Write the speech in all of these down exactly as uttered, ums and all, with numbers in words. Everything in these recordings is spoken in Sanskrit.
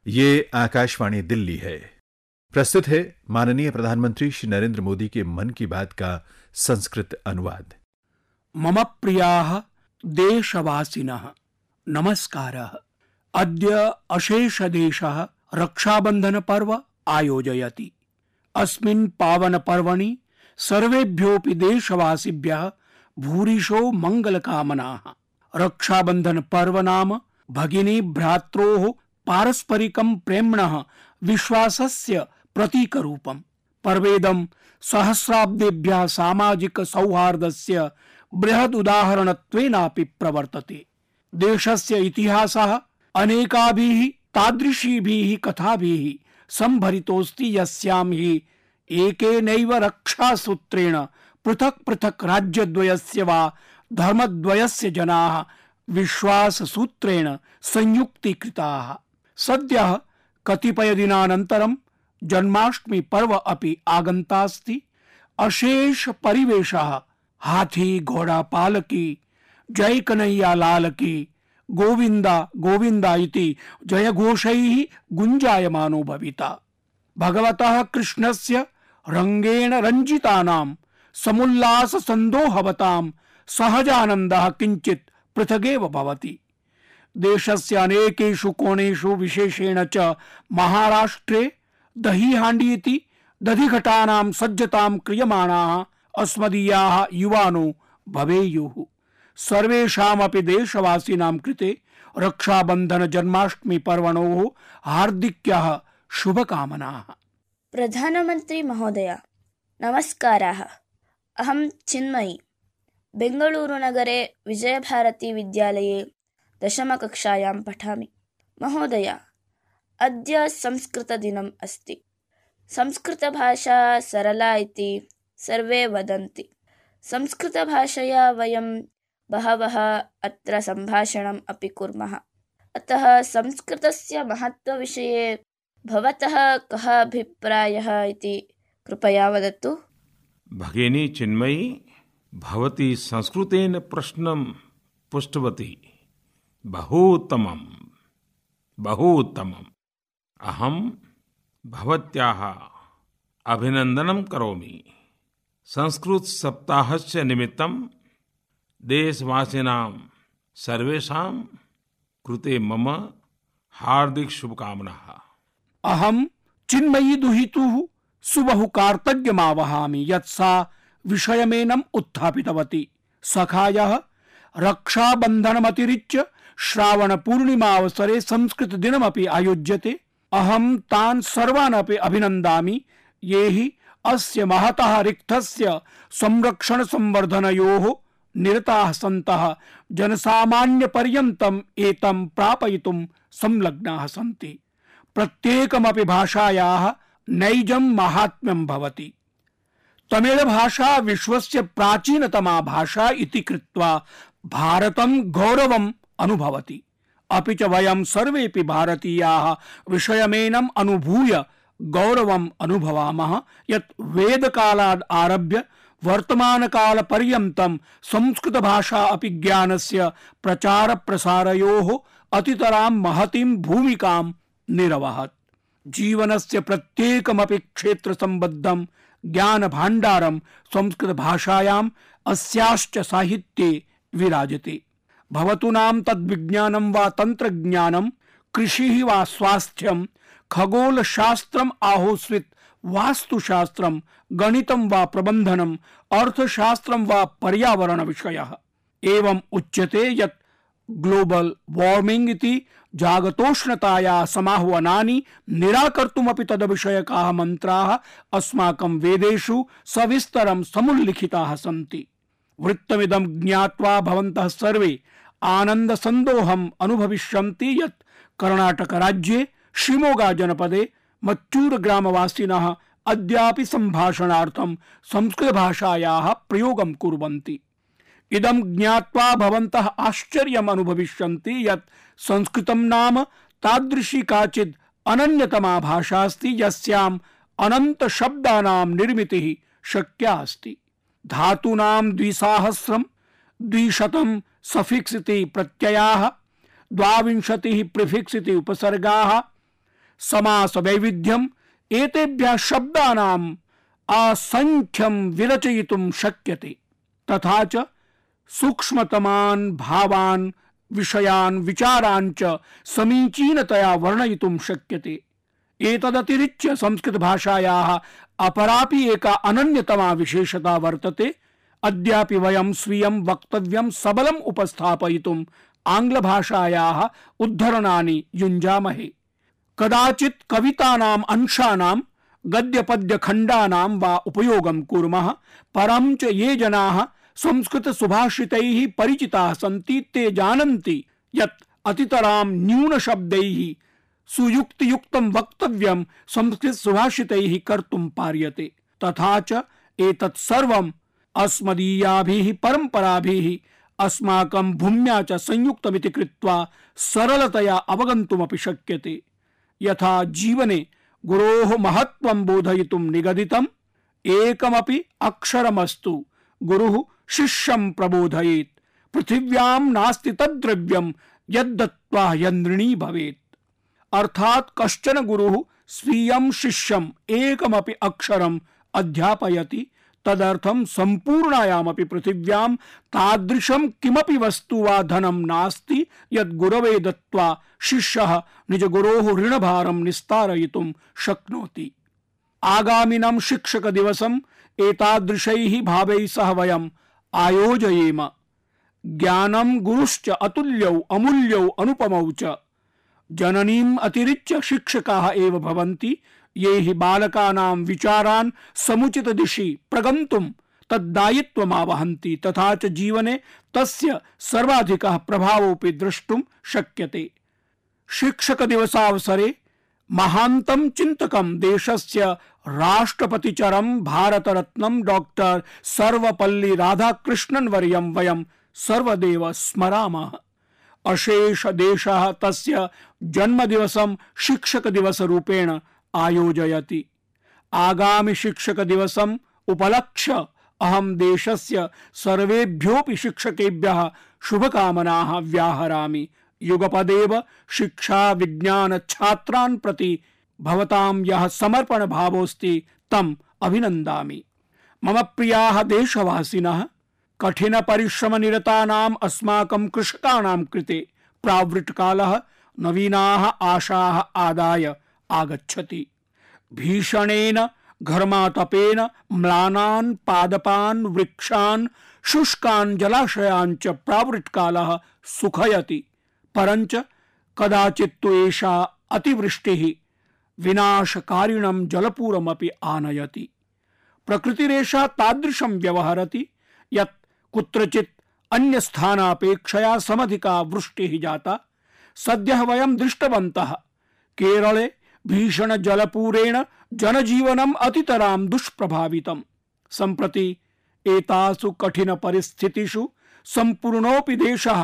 ये आकाशवाणी दिल्ली है। प्रस्तुत है माननीय प्रधानमंत्री श्री नरेंद्र मोदी के मन की बात का संस्कृत अनुवाद। मम प्रियाः देशवासिनः नमस्कारः। अद्य अशेष देशः रक्षाबंधन पर्व आयोजयति। अस्मिन् पावन पर्वणि सर्वेभ्योऽपि देशवासिभ्यः भूरिशो मंगलकामनाः। रक्षाबंधन पर्व नाम भगिनी भ्रात्रोः पारस्परिकं प्रेम्णः विश्वासस्य प्रतीकरूपम्। पर्वेदं सहस्राब्देभ्यः सामाजिक सौहार्दस्य बृहद् उदाहरणत्वेनापि प्रवर्तते। देशस्य इतिहासः अनेकाभिः तादृशीभिः कथाभिः संभरितोऽस्ति, यस्यां हि एकेनैव रक्षासूत्रेण पृथक् पृथक् राज्यद्वयस्य वा धर्मद्वयस्य जनाः विश्वाससूत्रेण संयुक्तीकृताः। सद्यः कतिपय दिनानन्तरं जन्माष्टमी पर्व अपि आगन्तास्ति। अशेष परिवेशः हाथी घोड़ा पालकी, जय कन्हैया लाल की, गोविंदा गोविंदा इति जयघोषैः गुञ्जायमानो भविता। भगवतः कृष्णस्य रंगेण रञ्जितानां समुल्लास संदोहवतां सहजानन्दः किञ्चित् पृथगेव भवति। देशस्य अनेकेषु कोणेषु, विशेषेण च महाराष्ट्रे दहीहाण्डी इति दधिघटानां सज्जतां क्रियमाणाः अस्मदीयाः युवानो भवेयुः। सर्वेषामपि देशवासिनां कृते रक्षाबंधन जन्माष्टमी पर्वणोः हार्दिक्यः शुभकामनाः। प्रधानमंत्री महोदय नमस्काराः। अहं चिन्मयी बेंगळूरुनगरे विजयभारती विद्यालये दशमकक्षायां पठामि। महोदय, अद्य संस्कृतदिनम् अस्ति। संस्कृतभाषा सरला इति सर्वे वदन्ति। संस्कृतभाषया वयं बहवः अत्र सम्भाषणम् अपि कुर्मः। अतः संस्कृतस्य महत्त्वविषये भवतः कः अभिप्रायः इति कृपया वदतु। भगिनी चिन्मयी, भवती संस्कृतेन प्रश्नं पृष्टवती। बहु उत्तमं बहु उत्तमम्। अहं भवत्याः अभिनन्दनं करोमि। संस्कृत सप्ताहस्य निमित्तं देशवासिनां सर्वेषां कृते मम हार्दिक शुभकामनाः। अहं चिन्मयी दुहितुः सुबहु कार्तज्ञमावहामि यत् सा विषयमेनम् उत्थापितवती। सखायः रक्षाबन्धनमतिरिच्य श्रावण पूर्णिमावसरे संस्कृत दिनमपि आयोज्यते। अहं तान् सर्वान् अपि अभिनन्दामि ये हि अस्य महतः रिक्तस्य संरक्षण संवर्धनयोः निरताः सन्तः जनसामान्यपर्यन्तम् एतं प्रापयितुं संलग्नाः सन्ति। प्रत्येकमपि भाषायाः नैजं माहात्म्यं भवति। तमिळ भाषा विश्वस्य प्राचीनतमा भाषा इति कृत्वा भारतं गौरवम् अनुभवति। अपि च वयं सर्वेपि भारतीयाः विषयमेनम् अनुभूय गौरवम् अनुभवामः यत् वेदकालात् आरभ्य वर्तमानकालपर्यन्तं संस्कृतभाषा अपि ज्ञानस्य प्रचार प्रसारयोः अतितरां महतीं भूमिकां निरवहत्। जीवनस्य प्रत्येकमपि क्षेत्रसम्बद्धं ज्ञानभाण्डारं संस्कृतभाषायाम् अस्याश्च साहित्ये विराजते। भवतु नाम तद्विज्ञानं वा तंत्रज्ञानं, कृषिः वा स्वास्थ्यं, खगोलशास्त्रम् आहोस्वित् वास्तुशास्त्रं, गणितं वा प्रबन्धनं, अर्थशास्त्रं वा पर्यावरण विषयः। एवं उच्यते यत् ग्लोबल वार्मिंग इति जागतोष्णतायाः समाह्वानानि निराकर्तुमपि तद्विषयकाः मन्त्राः अस्माकं वेदेषु सविस्तरं समुल्लिखिताः सन्ति। वृत्तमिदं ज्ञात्वा भवन्तः सर्वे आनन्दसन्दोहम् अनुभविष्यन्ति यत् कर्णाटकराज्ये शिमोगा जनपदे मच्चूर ग्रामवासिनः अद्यापि सम्भाषणार्थं संस्कृतभाषायाः प्रयोगं कुर्वन्ति। इदं ज्ञात्वा भवन्तः आश्चर्यम् अनुभविष्यन्ति यत् संस्कृतं नाम तादृशी काचित् अनन्यतमा भाषा अस्ति यस्याम् अनंत शब्दानां निर्मितिः शक्या अस्ति। धातूनां द्विसाहस्रं, द्विशतं सफिक्स इति प्रत्ययाः, द्वाविंशतिः प्रिफिक्स इति उपसर्गाः, समास वैविध्यम एतेभ्यः शब्दानाम् असंख्यं विरचयितुं शक्यते। तथा च सूक्ष्मतमान् भावान् विषयान् विचारान् च समीचीनतया वर्णयितुं शक्यते। एतदतिरिच्य संस्कृत भाषायाः अपरापि एका अनन्यतमा विशेषता वर्तते। अद्यापि वयं स्वीयं वक्तव्यं सबलम् उपस्थापयितुम् आङ्ग्लभाषायाः उद्धरणानि युञ्जामहे। कदाचित् कवितानाम् अंशानां गद्यपद्यखण्डानां वा उपयोगं कुर्मः, परं च ये जनाः संस्कृत सुभाषितैः परिचिताः सन्ति ते जानन्ति यत् अतितरां न्यूनशब्दैः सुयुक्तियुक्तं वक्तव्यं संस्कृत सुभाषितैः कर्तुं पार्यते। तथा च एतत् सर्वम् अस्मदीयाभिः परम्पराभिः अस्माकं भूम्या च संयुक्तमिति कृत्वा सरलतया अवगन्तुमपि शक्यते। यथा जीवने गुरोः महत्त्वं बोधयितुं निगदितम् एकमपि अक्षरमस्तु गुरुः शिष्यं प्रबोधयेत्, पृथिव्यां नास्ति तद्द्रव्यं यद्दत्त्वा यन्ऋणी भवेत्। अर्थात् कश्चन गुरुः स्वीयं शिष्यम् एकमपि अक्षरम् अध्यापयति, तदर्थं सम्पूर्णायामपि पृथिव्यां तादृशं किमपि वस्तु वा धनं नास्ति यद् गुरवे दत्त्वा शिष्यः निजगुरोः ऋणभारं निस्तारयितुं शक्नोति। आगामिनं शिक्षक दिवसम् एतादृशैः भावैः सह वयम् आयोजयेम। ज्ञानं गुरुश्च अतुल्यौ अमूल्यौ अनुपमौ च। जननीम् अतिरिच्य शिक्षकाः एव भवन्ति ये हि बालकानां विचारान् समुचित दिशि प्रगन्तुं तद्दायित्वमावहन्ति, तथा च जीवने तस्य सर्वाधिकः प्रभावोऽपि द्रष्टुं शक्यते। शिक्षक दिवसावसरे महान्तं चिन्तकं देशस्य राष्ट्रपतिचरं भारतरत्नं डॉक्टर सर्वपल्ली राधाकृष्णन् वर्यं वयं सर्वदेव स्मरामः। अशेष देशः तस्य जन्मदिवसं शिक्षक दिवस रूपेण आयोजयति। आगामि शिक्षक दिवसम् उपलक्ष्य अहं देशस्य सर्वेभ्योऽपि शिक्षकेभ्यः शुभकामनाः व्याहरामि। युगपदेव शिक्षा विज्ञान छात्रान् प्रति भवतां यः समर्पण भावोऽस्ति तम् अभिनन्दामि। मम प्रियाः देशवासिनः, कठिन परिश्रम निरतानाम् अस्माकं कृषकाणां कृते प्रावृट्कालः नवीनाः आशाः आदाय आगच्छति। भीषणेन घर्मातपेन म्लानान् पादपान् वृक्षान् शुष्कान् जलाशयान् च प्रावृट्कालः सुखयति, परञ्च कदाचित् तु एषा अतिवृष्टिः विनाशकारिणं जलपूरमपि आनयति। प्रकृतिरेषा तादृशं व्यवहरति यत् कुत्रचित् अन्यस्थानापेक्षया समधिका वृष्टिः जाता। सद्यः वयं दृष्टवन्तः केरले भीषण जलपूरेण जनजीवनम् अतितरां दुष्प्रभावितम्। सम्प्रति एतासु कठिन परिस्थितिषु सम्पूर्णोऽपि देशः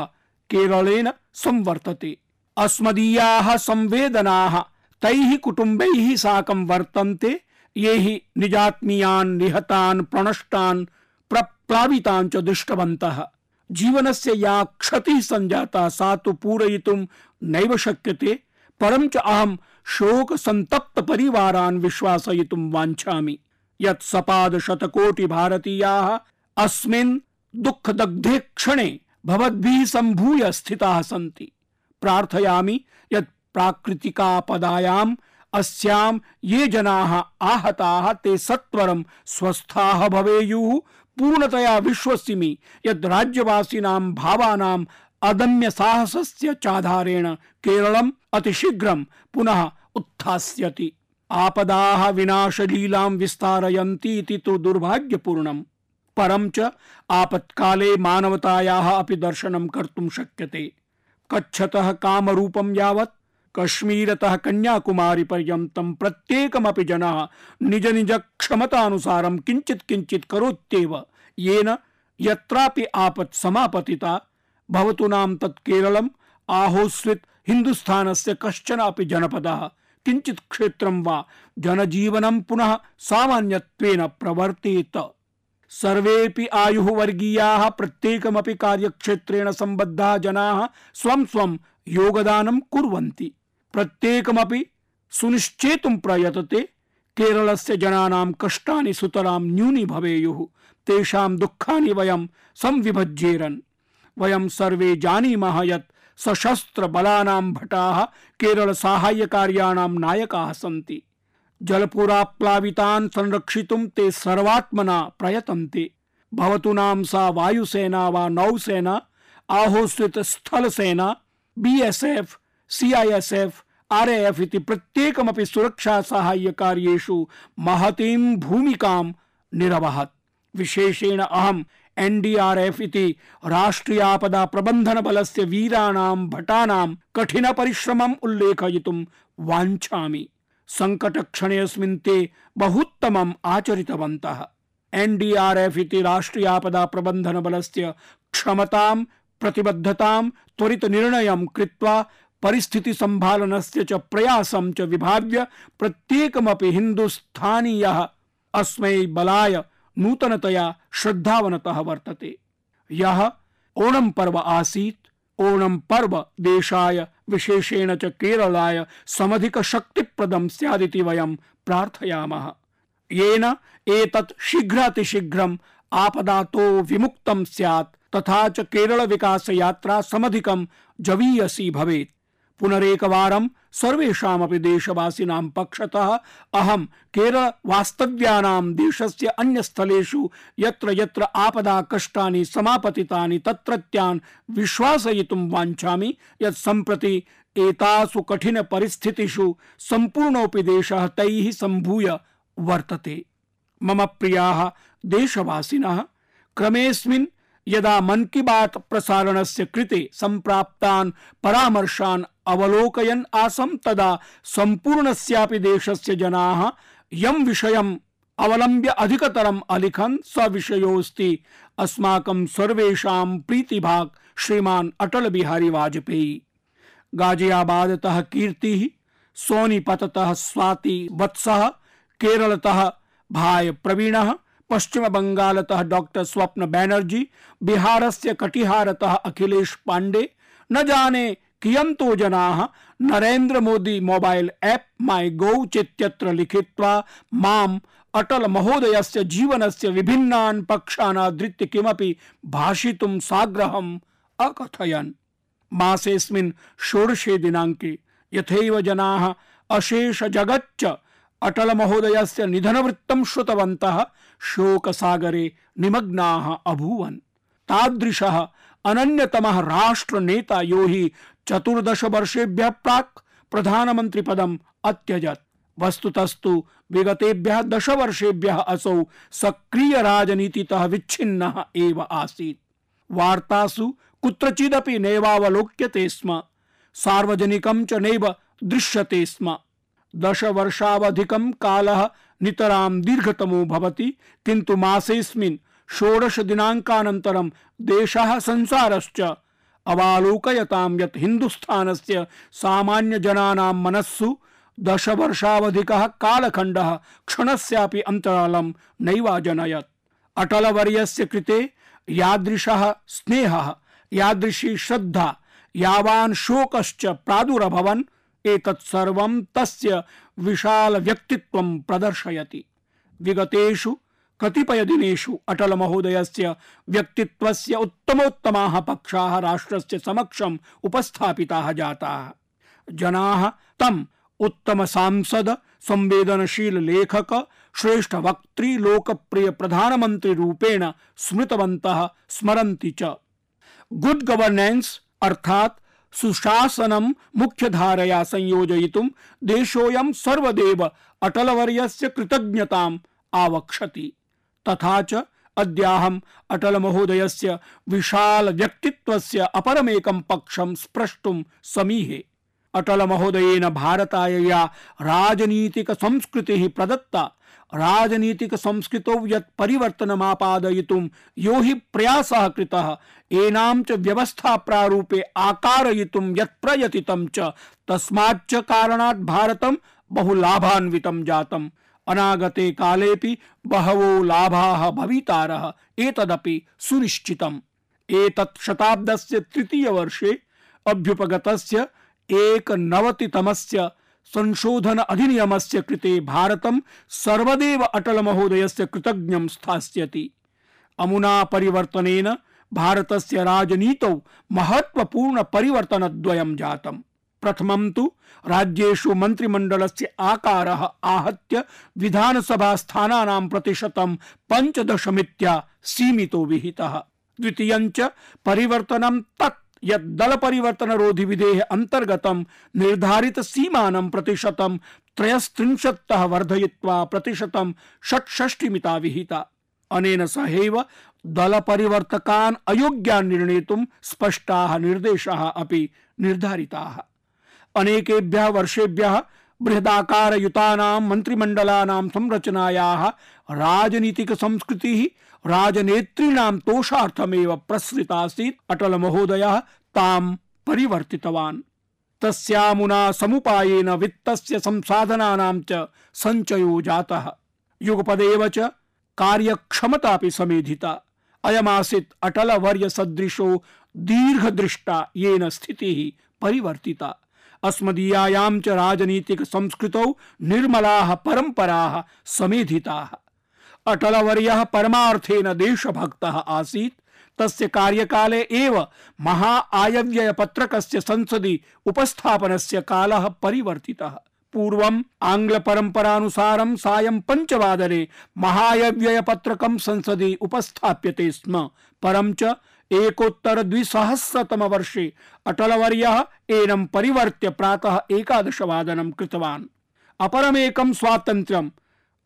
केरलेन संवर्तते। अस्मदीयाः संवेदनाः तैः कुटुम्बैः साकं वर्तन्ते ये हि निजात्मीयान् निहतान् प्रणष्टान् प्रप्लावितान् च दृष्टवन्तः। जीवनस्य या क्षतिः संजाता सा तु पूरयितुं नैव शक्यते, परं च अहं शोक संतप्त परिवारान् विश्वासयितुं वाञ्छामि यत् सपाद शतकोटि भारतीयाः अस्मिन् दुःखदग्धे क्षणे भवद्भिः सम्भूय स्थिताः सन्ति। प्रार्थयामि यत् प्राकृतिकापदायाम् अस्यां ये जनाः आहताः ते सत्वरं स्वस्थाः भवेयुः। पूर्णतया विश्वसिमि यत् राज्यवासिनां भावानां अदम्य साहसस्य चाधारेण केरलम् अतिशीघ्रं पुनः उत्थास्यति। आपदाः विनाशलीलां विस्तारयन्ति इति तु दुर्भाग्यपूर्णम्, परं च आपत्काले मानवतायाः अपि दर्शनं कर्तुं शक्यते। कच्छतः कामरूपं यावत् कश्मीरतः कन्याकुमारी पर्यन्तं प्रत्येकमपि जनः निज निज क्षमतानुसारं किञ्चित् किञ्चित् करोत्येव, येन यत्रापि आपत् समापतिता भवतु नाम तत् केरलम् आहोस्वित् हिन्दुस्थानस्य कश्चन अपि जनपदः किञ्चित् क्षेत्रं वा जनजीवनं पुनः सामान्यत्वेन प्रवर्तेत। सर्वेपि आयुः वर्गीयाः प्रत्येकमपि कार्यक्षेत्रेण सम्बद्धाः जनाः स्वं स्वं योगदानं कुर्वन्ति। प्रत्येकमपि सुनिश्चेतुं प्रयतते केरलस्य जनानां कष्टानि सुतरां न्यूनी भवेयुः, तेषां दुःखानि वयं संविभज्येरन्। वयं सर्वे जानीमः यत् सशस्त्र बलानां भटाः केरल साहाय्य कार्याणां नायकाः सन्ति। जलपुराप्लावितान् संरक्षितुं ते सर्वात्मना प्रयतन्ते। भवतु नाम सा वायुसेना वा नौसेना, आहोस्वित स्थल सेना, बीएसएफ, सीआईएसएफ, आरएएफ इति प्रत्येकमपि सुरक्षा साहाय्य कार्येषु महतीं भूमिकां निरवहत्। विशेषेण अहम् एनडीआरएफ इति राष्ट्रीय आपदा प्रबंधन बलस्य वीराणां भटानां कठिन परिश्रमम् उल्लेखयितुं वाञ्छामि। संकट क्षणेऽस्मिन् ते बहुत्तमम् आचरितवन्तः। एनडीआरएफ इति राष्ट्रीय आपदा प्रबंधन बलस्य क्षमतां, प्रतिबद्धतां, त्वरित निर्णयं कृत्वा परिस्थिति संभालनस्य च प्रयासं च विभाव्य प्रत्येकमपि हिन्दुस्थानीयः अस्मै बलाय नूतनतया श्रद्धावनतः वर्तते। यह ओणम पर्व आसीत्। ओणम पर्व देशाय विशेषेण च केरलाय समधिक शक्तिप्रदं स्यादिति वयं प्रार्थयामः, येन एतत् शीघ्रातिशीघ्रम् आपदातो विमुक्तं स्यात् तथा च केरल विकास यात्रा समधिकं जवीयसी भवेत्। पुनरेकवारं सर्वेषामपि देशवासिनां पक्षतः अहं केरल वास्तव्यानां देशस्य अन्यस्थलेषु यत्र यत्र आपदा कष्टानि समापतितानि तत्रत्यान् विश्वासयितुं वाञ्छामि यत् सम्प्रति एतासु कठिन परिस्थितिषु सम्पूर्णोऽपि देशः तैः सम्भूय वर्तते। मम प्रियाः देशवासिनः, क्रमेऽस्मिन् यदा मन की बात प्रसारणस्य कृते सम्प्राप्तान् परामर्शान् अवलोकयन् आसम् तदा सम्पूर्णस्यापि देशस्य जनाः यं विषयम् अवलम्ब्य अधिकतरम् अलिखन् स विषयोऽस्ति अस्माकं सर्वेषां प्रीतिभाक् श्रीमान् अटल बिहारी वाजपेयी। गाजियाबादतः कीर्तिः, सोनीपततः स्वाति वत्सः, केरलतः भाई प्रवीणः, पश्चिम बंगालतः डॉक्टर स्वप्न बैनर्जी, बिहारस्य कटिहारतः अखिलेश पांडे, न जाने कियंतो जनाः नरेंद्र मोदी मोबाइल ऐप माई गौ चेत्यत्र लिखित्वा माम अटल महोदयस्य जीवनस्य विभिन्नान् पक्षान् आधृत्य किमपि भाषितुं साग्रहम् अकथयन्। मासेऽस्मिन् षोडशे दिनाङ्के यथैव जनाः अशेष जगच्च अटल महोदयस्य निधनवृत्तं श्रुतवन्तः शोकसागरे निमग्नाः अभूवन्। तादृशः अनन्यतमः राष्ट्रनेता यो हि चतुर्दश वर्षेभ्यः प्राक् प्रधानमंत्री पदम् अत्यजत्। वस्तुतस्तु विगतेभ्यः दश वर्षेभ्यः असौ सक्रिय राजनीतितः विच्छिन्नः एव आसीत्। वार्तासु कुत्रचिदपि नैवावलोक्यते स्म, सार्वजनिकं च नैव दृश्यते स्म। दश वर्षावधिकं कालः नितरां दीर्घतमो भवति, किन्तु मासेऽस्मिन् षोडश दिनाङ्कानन्तरं देशः संसारश्च अवालोकयतां यत् हिन्दुस्थानस्य सामान्य जनानां मनस्सु दश वर्षावधिकः कालखण्डः क्षणस्यापि अन्तरालं नैवाजनयत्। अटलवर्यस्य कृते यादृशः स्नेहः, यादृशी श्रद्धा, यावान् शोकश्च प्रादुरभवन् एतत् सर्वं तस्य विशाल व्यक्तित्वं प्रदर्शयति। विगतेषु कतिपय दिनेषु अटल महोदयस्य व्यक्तित्वस्य उत्तमोत्तमाः पक्षाः राष्ट्रस्य समक्षम् उपस्थापिताः जाताः। जनाः तम् उत्तम सांसद, संवेदनशील लेखक, श्रेष्ठ वक्त्री, लोकप्रिय प्रधानमंत्री रूपेण स्मृतवन्तः, स्मरन्ति च। गुड गवर्नेंस अर्थात् सुशासनं मुख्यधारया संयोजयितुं देशोऽयं सर्वदेव अटलवर्यस्य कृतज्ञताम् आवक्षति। तथा च अद्याहम् अटल महोदयस्य विशाल व्यक्तित्वस्य अपरमेकं पक्षं स्प्रष्टुं समीहे। अटल महोदयेन भारताय या राजनीतिक संस्कृतिः प्रदत्ता, राजनीतिक संस्कृतौ यत् परिवर्तनमापादयितुं यो हि प्रयासः कृतः, एनां च व्यवस्था प्रारूपे आकारयितुं यत् प्रयतितं च, तस्माच्च कारणात् भारतं बहु लाभान्वितं जातम्। अनागते कालेपि बहवो लाभाः भवितारः, एतदपि सुनिश्चितम्। एतत् शताब्दस्य तृतीय वर्षे अभ्युपगतस्य एकनवतितमस्य संशोधन अधिनियमस्य कृते भारतं सर्वदेव अटल महोदयस्य कृतज्ञं स्थास्यति। अमुना परिवर्तनेन भारतस्य राजनीतौ महत्वपूर्ण परिवर्तनद्वयं जातम्। प्रथमं तु राज्येषु मन्त्रिमण्डलस्य आकारः आहत्य विधानसभा स्थानानां प्रतिशतं पञ्चदशमित्या सीमितो विहितः। द्वितीयं च परिवर्तनं तत् यत् दल परिवर्तनरोधि विधेः अंतर्गतं निर्धारित सीमानं प्रतिशतं त्रयस्त्रिंशत्तः वर्धयित्वा प्रतिशतं षट्षष्टिमिता विहिता। अनेन सहैव दल परिवर्तकान् अयोग्यान् निर्णेतुं स्पष्टाः निर्देशाः अपि निर्धारिताः। अनेकेभ्यः वर्षेभ्यः बृहदाकारयुतानां मन्त्रिमण्डलानां संरचनायाः राजनीतिक संस्कृतिः राजनेतॄणां तोषार्थमेव प्रसृतासीत्। अटल महोदयः तां परिवर्तितवान्। तस्यामुना समुपायेन वित्तस्य संसाधनानां च सञ्चयो जातः। युगपदेव च कार्यक्षमतापि समेधिता। अयमासीत् अटल वर्य सदृशो दीर्घदृष्टा येन स्थितिः परिवर्तिता। अस्मदीयायां च राजनीतिक संस्कृतौ निर्मलाः परम्पराः समेधिताः। अटलवर्यः परमार्थेन देशभक्तः आसीत्। तस्य कार्यकाले एव महा आयव्यय पत्रकस्य संसदि उपस्थापनस्य कालः परिवर्तितः। पूर्वम् आंग्ल परम्परानुसारं सायं पञ्चवादने महायव्यय पत्रकं संसदि उपस्थाप्यते स्म। परं च एकोत्तर द्विसहस्रतम वर्षे अटलवर्यः एनं परिवर्त्य प्रातः एकादशवादनं कृतवान्। अपरमेकं स्वातन्त्र्यम्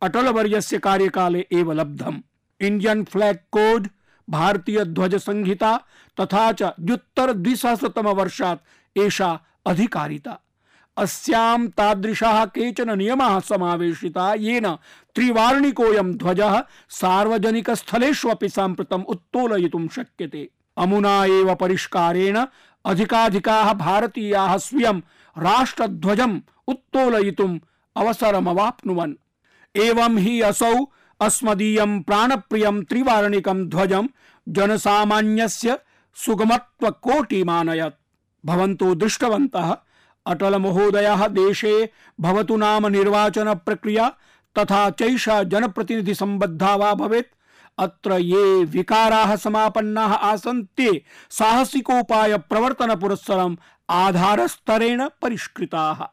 अटलवर्यस्य कार्यकाले एव लब्धम्। इंडियन फ्लैग कोड, भारतीय ध्वज संहिता तथा च द्व्युत्तर द्विसहस्रतम वर्षात् एषा अधिकारिता। अस्यां तादृशाः केचन नियमाः समावेशिता येन त्रिवार्णिकोऽयं ध्वजः सार्वजनिकस्थलेष्वपि साम्प्रतम् उत्तोलयितुं शक्यते। अमुना एव परिष्कारेण अधिकाधिकाः भारतीयाः स्वीयं राष्ट्रध्वजम् उत्तोलयितुम् अवसरमवाप्नुवन्। एवं हि असौ अस्मदीयं प्राणप्रियं त्रिवार्णिकं ध्वजं जनसामान्यस्य सुगमत्वकोटिमानयत्। भवन्तो दृष्टवन्तः अटल महोदयः देशे भवतु नाम निर्वाचन प्रक्रिया तथा चैषा जनप्रतिनिधि संबद्धा वा भवेत्। अत्र ये विकाराः समापन्नाः आसन् ते साहसिकोपाय प्रवर्तन पुरस्सरम् आधारस्तरेण परिष्कृताः।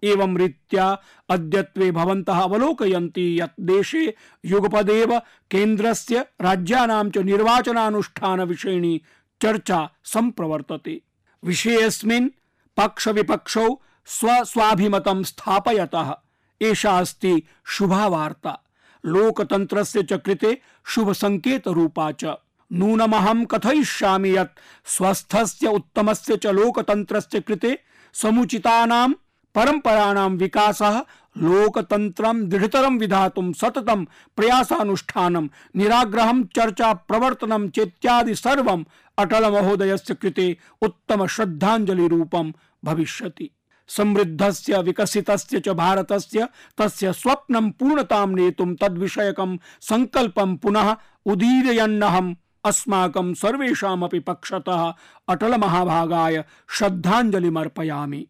एवं रीत्या अद्यत्वे भवन्तः अवलोकयन्ति यत् देशे युगपदेव केन्द्रस्य राज्यानां च निर्वाचनानुष्ठान विषयिणी चर्चा सम्प्रवर्तते। विषयेऽस्मिन् पक्ष विपक्षौ स्वस्वाभिमतं स्थापयतः एषा अस्ति शुभा वार्ता। लोकतन्त्रस्य च कृते शुभ संकेत रूपा च। नूनमहं कथयिष्यामि यत् स्वस्थस्य उत्तमस्य च लोकतन्त्रस्य कृते समुचितानां परम्पराणां विकासः लोकतन्त्रं दृढतरं विधातुं सततं प्रयासानुष्ठानं निराग्रहं चर्चा प्रवर्तनं चेत्यादि सर्वम् अटल महोदयस्य कृते उत्तम श्रद्धांजलि रूपं भविष्यति। समृद्धस्य विकसितस्य च भारतस्य तस्य स्वप्नं पूर्णतां नेतुं तद्विषयकं संकल्पं पुनः उदीरयन्नहम् अस्माकं सर्वेषामपि पक्षतः अटल महाभागाय श्रद्धांजलिमर्पयामि।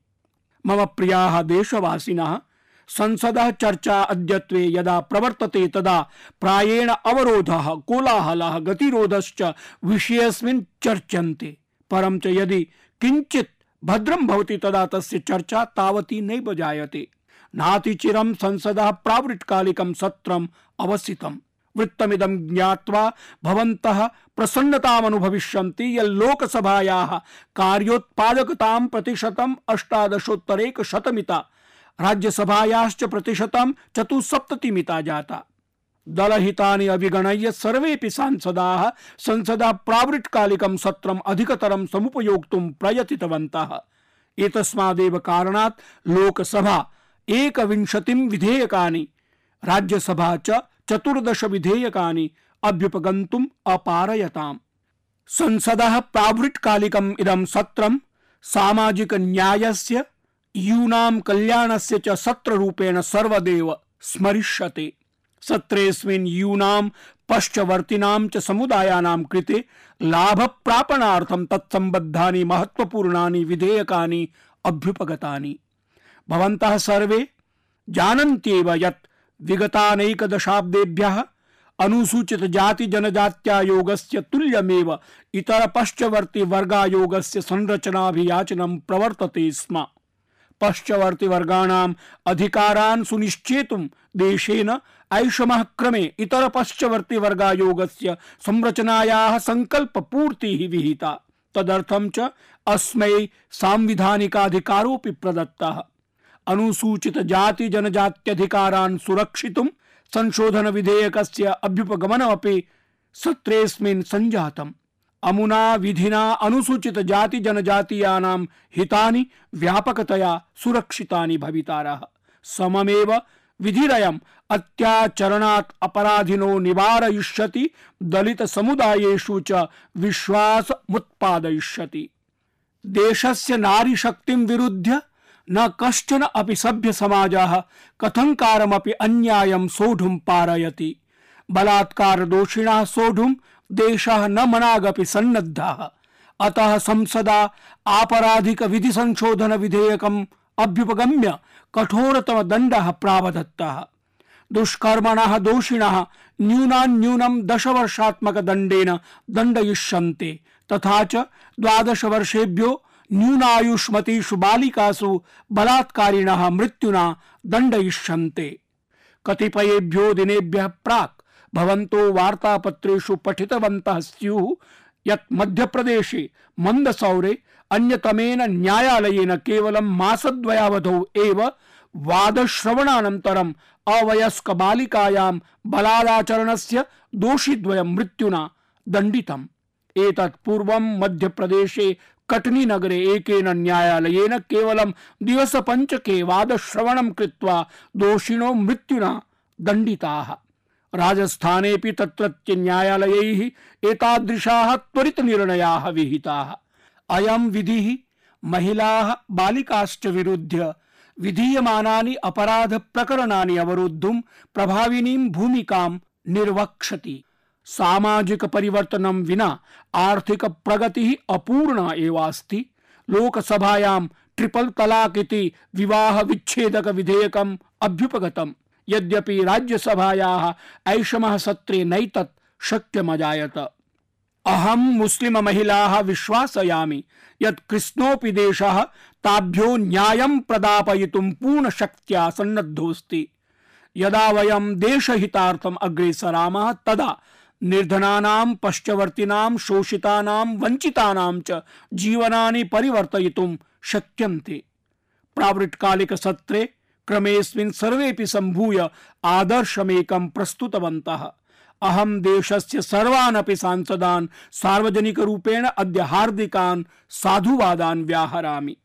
मम प्रियाः देशवासिनः, संसदः चर्चा अद्यत्वे यदा प्रवर्तते तदा प्रायेण अवरोधः, कोलाहलः, गतिरोधश्च विषयेऽस्मिन् चर्च्यन्ते। परं च यदि किञ्चित् भद्रं भवति तदा तस्य चर्चा तावती नैव जायते। नातिचिरं संसदः प्रावृट्कालिकं सत्रम् अवसितम्। वृत्तमिदं ज्ञात्वा भवन्तः प्रसन्नतामनुभविष्यन्ति यत् लोकसभायाः कार्योत्पादकतां प्रतिशतम् अष्टादशोत्तरैकशतमिता, राज्यसभायाश्च प्रतिशतं चतुस्सप्ततिमिता जाता। दलहितानि अभिगणय्य सर्वेपि सांसदाः संसदा प्रावृट्कालिकं सत्रम् अधिकतरं समुपयोक्तुं प्रयतितवन्तः। एतस्मादेव कारणात् लोकसभा एकविंशतिं विधेयकानि, राज्यसभा च चतुर्दश विधेयकानि अभ्युपगन्तुम् अपारयताम्। संसदः प्रावृट्कालिकम् इदं सत्रं सामाजिक न्यायस्य, यूनां कल्याणस्य च सत्ररूपेण सर्वदेव स्मरिष्यते। सत्रेऽस्मिन् यूनां पश्चवर्तिनां च समुदायानां कृते लाभप्रापणार्थं तत्सम्बद्धानि महत्वपूर्णानि विधेयकानि अभ्युपगतानि। भवन्तः सर्वे जानन्त्येव यत् विगतानेकदशाब्देभ्यः अनुसूचित जाति जनजात्यायोगस्य तुल्यमेव इतर पश्चवर्ती वर्गायोगस्य संरचनाभियाचनं प्रवर्तते स्म। पश्चवर्ती वर्गाणाम् अधिकारान् सुनिश्चेतुं देशेन ऐषमः क्रमे इतर पश्चवर्ती वर्गायोगस्य संरचनायाः संकल्प पूर्तिः विहिता। तदर्थं च अस्मै सांविधानिकाधिकारोऽपि प्रदत्तः। अनुसूचित जाति जनजात्यधिकारान् सुरक्षितुं संशोधन विधेयकस्य अभ्युपगमनमपि सत्रेऽस्मिन् सञ्जातम्। अमुना विधिना अनुसूचित जाति जनजातीयानां हितानि व्यापकतया सुरक्षितानि भवितारः। सममेव विधिरयम् अत्याचरणात् अपराधिनो निवारयिष्यति, दलित समुदायेषु च विश्वासमुत्पादयिष्यति। देशस्य नारी शक्तिं विरुध्य न कश्चन अपि सभ्य समाजः कथंकारमपि अन्यायं सोढुं पारयति। बलात्कार दोषिणः सोढुं देशः न मनागपि सन्नद्धः। अतः संसदा आपराधिक विधि संशोधन विधेयकम् अभ्युपगम्य कठोरतम दण्डः प्रावधत्तः। दुष्कर्मणः दोषिणः न्यूनान्यूनं दश वर्षात्मक दण्डेन दण्डयिष्यन्ते, तथा च द्वादश वर्षेभ्यो न्यूनायुष्मतीषु बालिकासु बलात्कारिणः मृत्युना दण्डयिष्यन्ते। कतिपयेभ्यो दिनेभ्यः प्राक् भवन्तो वार्तापत्रेषु पठितवन्तः स्युः यत् मध्यप्रदेशे मन्दसौरे अन्यतमेन न्यायालयेन केवलं मासद्वयावधौ एव वादश्रवणानन्तरम् अवयस्क बालिकायां बलादाचरणस्य दोषिद्वयं मृत्युना दण्डितम्। एतत् पूर्वं मध्यप्रदेशे कटनी नगरे एकेन न्यायालयेन केवलं दिवसपञ्चके वादश्रवणं कृत्वा दोषिणो मृत्युना दण्डिताः। राजस्थानेपि तत्रत्य न्यायालयैः एतादृशाः त्वरित निर्णयाः विहिताः। अयं विधिः महिलाः बालिकाश्च विरुध्य विधीयमानानि अपराध प्रकरणानि अवरोद्धुं प्रभाविनीं भूमिकां निर्वक्षति। सामाजिक परिवर्तनं विना आर्थिक प्रगतिः अपूर्णा एवास्ति। लोकसभायां ट्रिपल तलाक इति विवाह विच्छेदक विधेयकम् अभ्युपगतम्, यद्यपि राज्यसभायाः ऐषमः सत्रे नैतत् शक्यमजायत। अहं मुस्लिम महिलाः विश्वासयामि यत् कृष्णोऽपि देशः ताभ्यो न्यायं प्रदापयितुं पूर्णशक्त्या सन्नद्धोऽस्ति। यदा वयं देशहितार्थम् अग्रेसरामः तदा निर्धनानां, पश्चवर्तिनां, शोषितानां, वञ्चितानां च जीवनानि परिवर्तयितुं शक्यन्ते। प्रावृट्कालिक सत्रे क्रमेऽस्मिन् सर्वेपि सम्भूय आदर्शमेकं प्रस्तुतवन्तः। अहं देशस्य सर्वान् अपि सांसदान् सार्वजनिकरूपेण अद्य हार्दिकान् साधुवादान् व्याहरामि।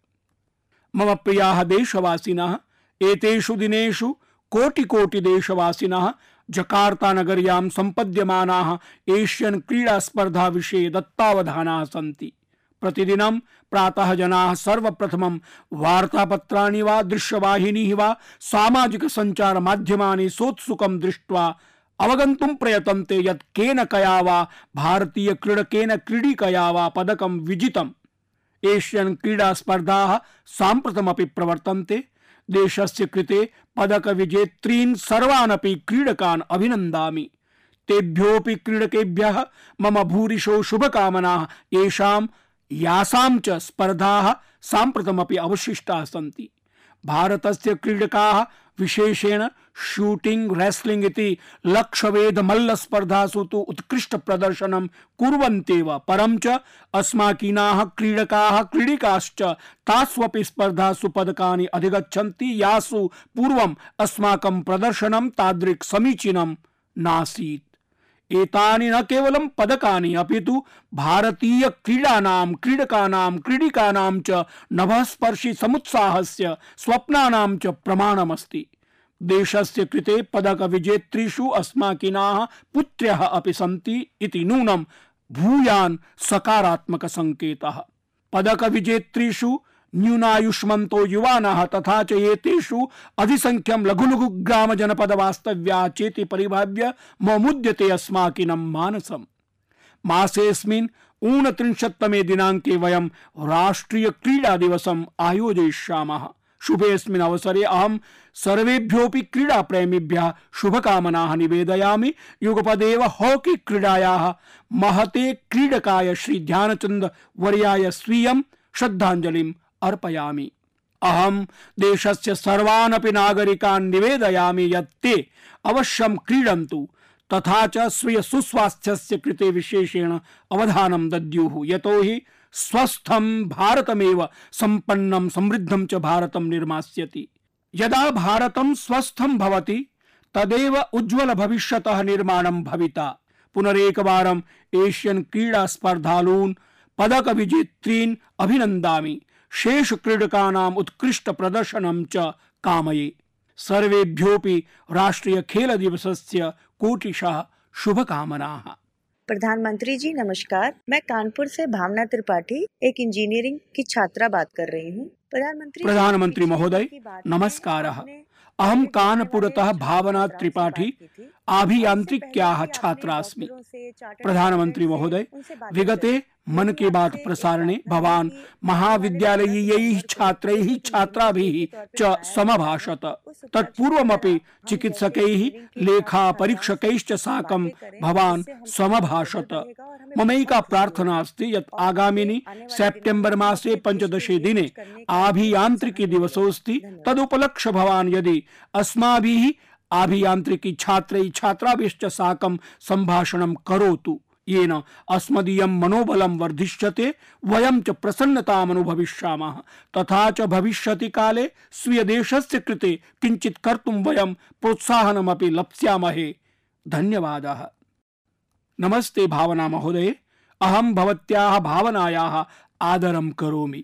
मम प्रियाः देशवासिनः, एतेषु दिनेषु कोटि कोटि देशवासिनः जकार्ता नगर्यां सम्पद्यमानाः एशियन क्रीडा स्पर्धा विषये दत्तावधानाः सन्ति। प्रतिदिनं प्रातः जनाः सर्वप्रथमं वार्तापत्राणि वा दृश्यवाहिनीः वा सामाजिक संचार माध्यमानि सोत्सुकं दृष्ट्वा अवगन्तुं प्रयतन्ते यत् केन कया वा भारतीय क्रीडकेन क्रीडिकया वा पदकं विजितम्। एशियन क्रीडा स्पर्धाः साम्प्रतमपि प्रवर्तन्ते। देशस्य कृते पदक विजेत्रीन् सर्वानपि क्रीडकान् अभिनन्दामि। तेभ्योऽपि क्रीडकेभ्यः मम भूरिशो शुभकामनाः। येषां यासां च स्पर्धाः साम्प्रतमपि अवशिष्टाः सन्ति। भारतस्य क्रीडकाः विशेषेण शूटिंग, रेस्लिंग इति लक्ष्यवेध मल्ल स्पर्धासु तु उत्कृष्ट प्रदर्शनं कुर्वन्त्येव, परं च अस्माकीनाः क्रीडकाः क्रीडिकाश्च तास्वपि स्पर्धासु पदकानि अधिगच्छन्ति यासु पूर्वम् अस्माकं प्रदर्शनं तादृक् समीचीनं नासीत्। एतानि न केवलं पदकानि अपितु भारतीय क्रीडानां, क्रीडकानां, क्रीडिकानां च नभस्पर्शि समुत्साहस्य, स्वप्नानां च प्रमाणमस्ति। देशस्य कृते पदक विजेत्रीषु अस्माकीनाः पुत्र्यः अपि सन्ति इति नूनं भूयान् सकारात्मक संकेतः। पदक विजेत्रीषु न्यूनायुष्मन्तो युवानः तथा च एतेषु अधिसंख्यं लघु लघु ग्राम जनपद वास्तव्या चेति परिभाव्य ममुद्यते अस्माकीनं मानसम्। मासेऽस्मिन् ऊनत्रिंशत्तमे दिनाङ्के वयं राष्ट्रिय क्रीडा दिवसम् आयोजयिष्यामः। शुभेऽस्मिन् अवसरे अहं सर्वेभ्योऽपि क्रीडा प्रेमिभ्यः शुभकामनाः निवेदयामि। युगपदेव हॉकी क्रीडायाः महते क्रीडकाय श्री ध्यानचंद वर्याय स्वीयं श्रद्धांजलिम् अर्पयामि। अहं देशस्य सर्वान् अपि नागरिकान् निवेदयामि यत् ते अवश्यं क्रीडन्तु तथा च स्वीय सुस्वास्थ्यस्य कृते विशेषेण अवधानं दद्युः। यतोहि स्वस्थं भारतमेव सम्पन्नं समृद्धं च भारतं निर्मास्यति। यदा भारतं स्वस्थं भवति तदेव उज्ज्वल भविष्यतः निर्माणं भविता। पुनरेकवारम् एशियन क्रीडा स्पर्धालून् पदक विजेत्रीन् अभिनन्दामि। शेष क्रीडकानाम् उत्कृष्ट प्रदर्शनं च कामये। सर्वेभ्योऽपि राष्ट्रीय खेल दिवसस्य कोटिशः शुभकामनाः। प्रधानमंत्री जी नमस्कार, मैं कानपुर से भावना त्रिपाठी एक इंजीनियरिंग की छात्रा बात कर रही हूँ। प्रधानमंत्री प्रधानमंत्री महोदय नमस्कारः। अहं कानपुरतः भावना त्रिपाठी अभियान्त्रिक्याः छात्रा अस्मि। प्रधानमंत्री महोदय, विगते मन की बात प्रसारणे भवान् महाविद्यालयीयैः छात्रैः छात्राभिः च समभाषत। तत्पूर्वमपि चिकित्सकैः लेखा परीक्षकैश्च साकं भवान् समभाषत। ममैका प्रार्थना अस्ति यत् आगामिनि सेप्टेम्बर मासे पंचदशे दिने अभियान्त्रिकी दिवसोऽस्ति। तदुपलक्ष्य भवान् यदि अस्माभिः अभियान्त्रिकी छात्रैः छात्राभिश्च साकं सम्भाषणं करोतु, येन अस्मदीयं मनोबलं वर्धिष्यते, वयं च प्रसन्नताम् अनुभविष्यामः। तथा च भविष्यति काले स्वीय देशस्य कृते किञ्चित् कर्तुं वयं प्रोत्साहनमपि लप्स्यामहे। धन्यवादः। नमस्ते भावना महोदय, अहं भवत्याः भावनायाः आदरं करोमि।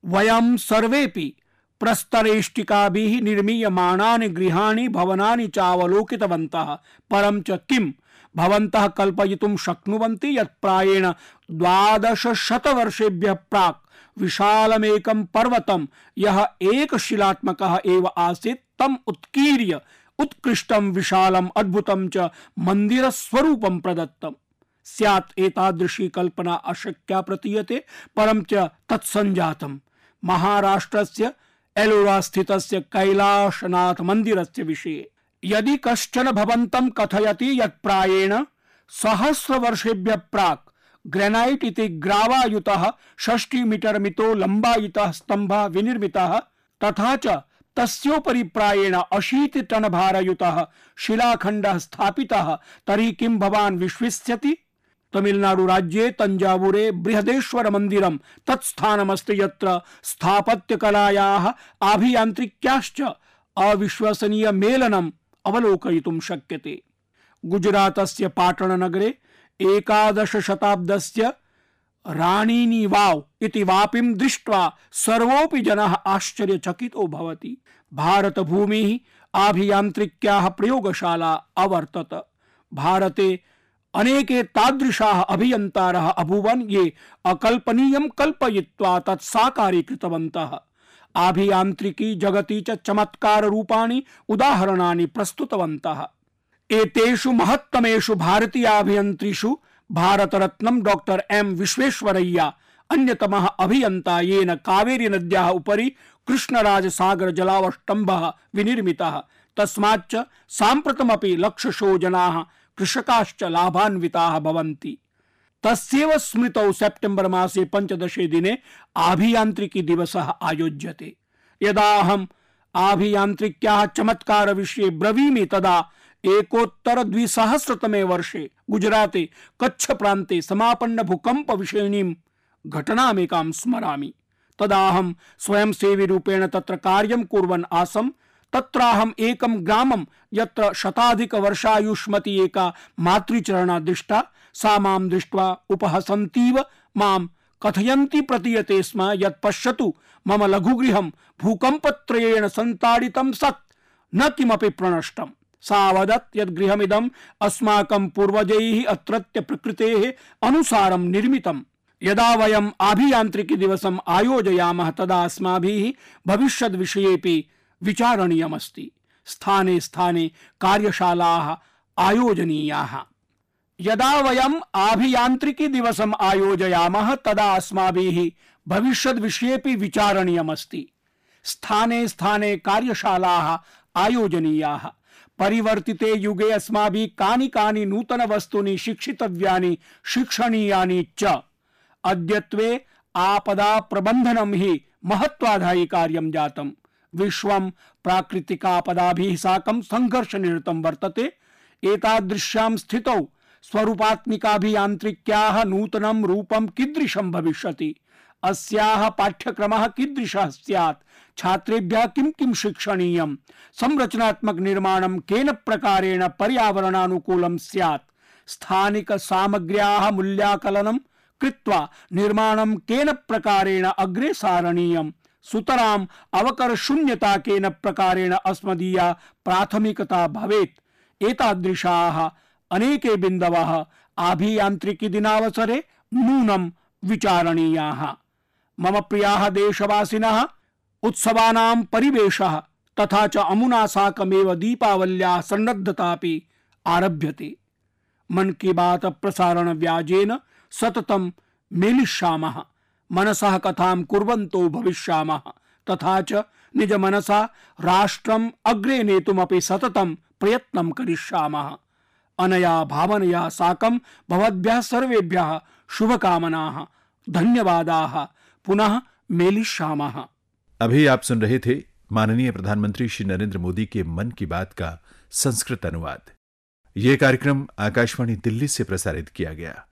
वयं सर्वेपि प्रस्तरेष्टिकाभिः निर्मीयमाणानि गृहाणि भवनानि चावलोकितवन्तः। परं च किं भवन्तः कल्पयितुं शक्नुवन्ति यत् प्रायेण द्वादशशतवर्षेभ्यः प्राक् विशालमेकं पर्वतं यः एकशिलात्मकः एव आसीत् तं उत्कीर्य उत्कृष्टं विशालम् अद्भुतं च मन्दिरस्वरूपं प्रदत्तं स्यात्। एतादृशी कल्पना अशक्या प्रतीयते, परं च तत्सञ्जातं। महाराष्ट्रस्य एलोरा स्थितस्य कैलाशनाथ मन्दिरस्य विषये यदि कश्चन भवन्तं कथयति यत् प्रायेण सहस्रवर्षेभ्यः प्राक् ग्रेनाइट इति ग्रावायुतः षष्टि मीटर मितो लम्बायितः स्तम्भः विनिर्मितः तथा च तस्योपरि प्रायेण अशीति टन भारयुतः शिलाखण्डः स्थापितः, तर्हि किं भवान् विश्वसिष्यति? तमिलनाडु राज्ये तंजावुरे बृहदेश्वर मंदिरं तत्स्थानमस्ति यत्र स्थापत्यकलायाः अभियान्त्रिक्याश्च अविश्वसनीय मेलनम् अवलोकयितुं शक्यते। गुजरातस्य पाटणनगरे एकादश शताब्दस्य राणीनी वाव इति वापिं दृष्ट्वा सर्वोऽपि जनः आश्चर्यचकितो भवति। भारतभूमिः अभियान्त्रिक्याः प्रयोगशाला अवर्तत। भारते अनेके तादृशाः अभियन्तारः अभूवन् ये अकल्पनीयं कल्पयित्वा तत् साकारीकृतवन्तः। अभियान्त्रिकी जगति च चमत्कार रूपाणि उदाहरणानि प्रस्तुतवन्तः। एतेषु महत्तमेषु भारतीय अभियन्त्रिषु भारतरत्नं डॉक्टर एम विश्वेश्वरय्या अन्यतमः अभियन्ता, येन कावेरी नद्याः उपरि कृष्णराज सागर जलावष्टम्भः विनिर्मितः। तस्माच्च साम्प्रतमपि लक्षशो जनाः कृषकाश्च लाभान्विताः भवन्ति। तस्यैव स्मृतौ सेप्टेम्बर मासे पंचदशे दिने अभियान्त्रिकी दिवसः आयोज्यते। यदा अहम् अभियान्त्रिक्याः चमत्कार विषये ब्रवीमि तदा एकोत्तर द्विसहस्रतमे वर्षे गुजराते कच्छ प्रान्ते समापन्न भूकंप विषयिणीं घटनामेकां स्मरामि। तदा अहं स्वयंसेवी रूपेण तत्र कार्यं कुर्वन् आसम्। तत्राहम् एकं ग्रामं यत्र शताधिक वर्षायुष्मती एका मातृचरणा दृष्टा। सा मां दृष्ट्वा उपहसन्तीव मां कथयन्ती प्रतीयते स्म यत् पश्यतु, मम लघुगृहं भूकम्पत्रयेण सन्ताडितं सत्, न किमपि प्रणष्टम्। सा वदत् यत् गृहमिदम् अस्माकं पूर्वजैः अत्रत्य प्रकृतेः अनुसारं निर्मितम्। यदा वयम् अभियान्त्रिकी दिवसम् आयोजयामः तदा अस्माभिः भविष्यद् विषयेपि विचारणीयमस्ति। स्थाने स्थाने कार्यशालाः आयोजनीयाः। यदा वयम् अभियान्त्रिकी दिवसम् आयोजयामः तदा अस्माभिः भविष्यद् विषयेपि विचारणीयमस्ति। स्थाने स्थाने कार्यशालाः आयोजनीयाः। परिवर्तिते युगे अस्माभिः कानि कानि नूतन वस्तूनि शिक्षितव्यानि शिक्षणीयानि च। अद्यत्वे आपदा प्रबंधनं हि महत्वाधायि कार्यं जातम्। विश्वं प्राकृतिकापदाभिः साकं संघर्षनिरतं वर्तते। एतादृश्यां स्थितौ स्वरूपात्मिकाभियान्त्रिक्याः नूतनं रूपं कीदृशं भविष्यति, अस्याः पाठ्यक्रमः कीदृशः स्यात्, छात्रेभ्यः किं किं शिक्षणीयं, संरचनात्मक निर्माणं केन प्रकारेण पर्यावरणानुकूलं स्यात्, स्थानिक सामग्र्याः मूल्याकलनं कृत्वा निर्माणं केन प्रकारेण अग्रे सारणीयं, सुतरां अवकर शून्यता केन प्रकारेण अस्मदीया प्राथमिकता भवेत्। एतादृशाः अनेके बिन्दवः आभियान्त्रिकी दिनावसरे नूनं विचारणीयाः। मम प्रियाः देशवासिनः, उत्सवानां परिवेशः तथा च अमुना साकमेव दीपावल्याः सन्नद्धतापि आरभ्यते। मन की बात प्रसारण व्याजेन सततं मेलिष्यामः, मनसः कथां कुर्वन्तो भविष्यामः, तथा च निज मनसा राष्ट्रम् अग्रे नेतुमपि सततं प्रयत्नं करिष्यामः। अनया भावनया साकं भवद्भ्यः सर्वेभ्यः शुभकामनाः, धन्यवादाः। पुनः मेलिष्यामः। अभी आप सुन रहे थे माननीय प्रधानमंत्री श्री नरेंद्र मोदी के मन की बात का संस्कृत अनुवाद। यह कार्यक्रम आकाशवाणी दिल्ली से प्रसारित किया गया।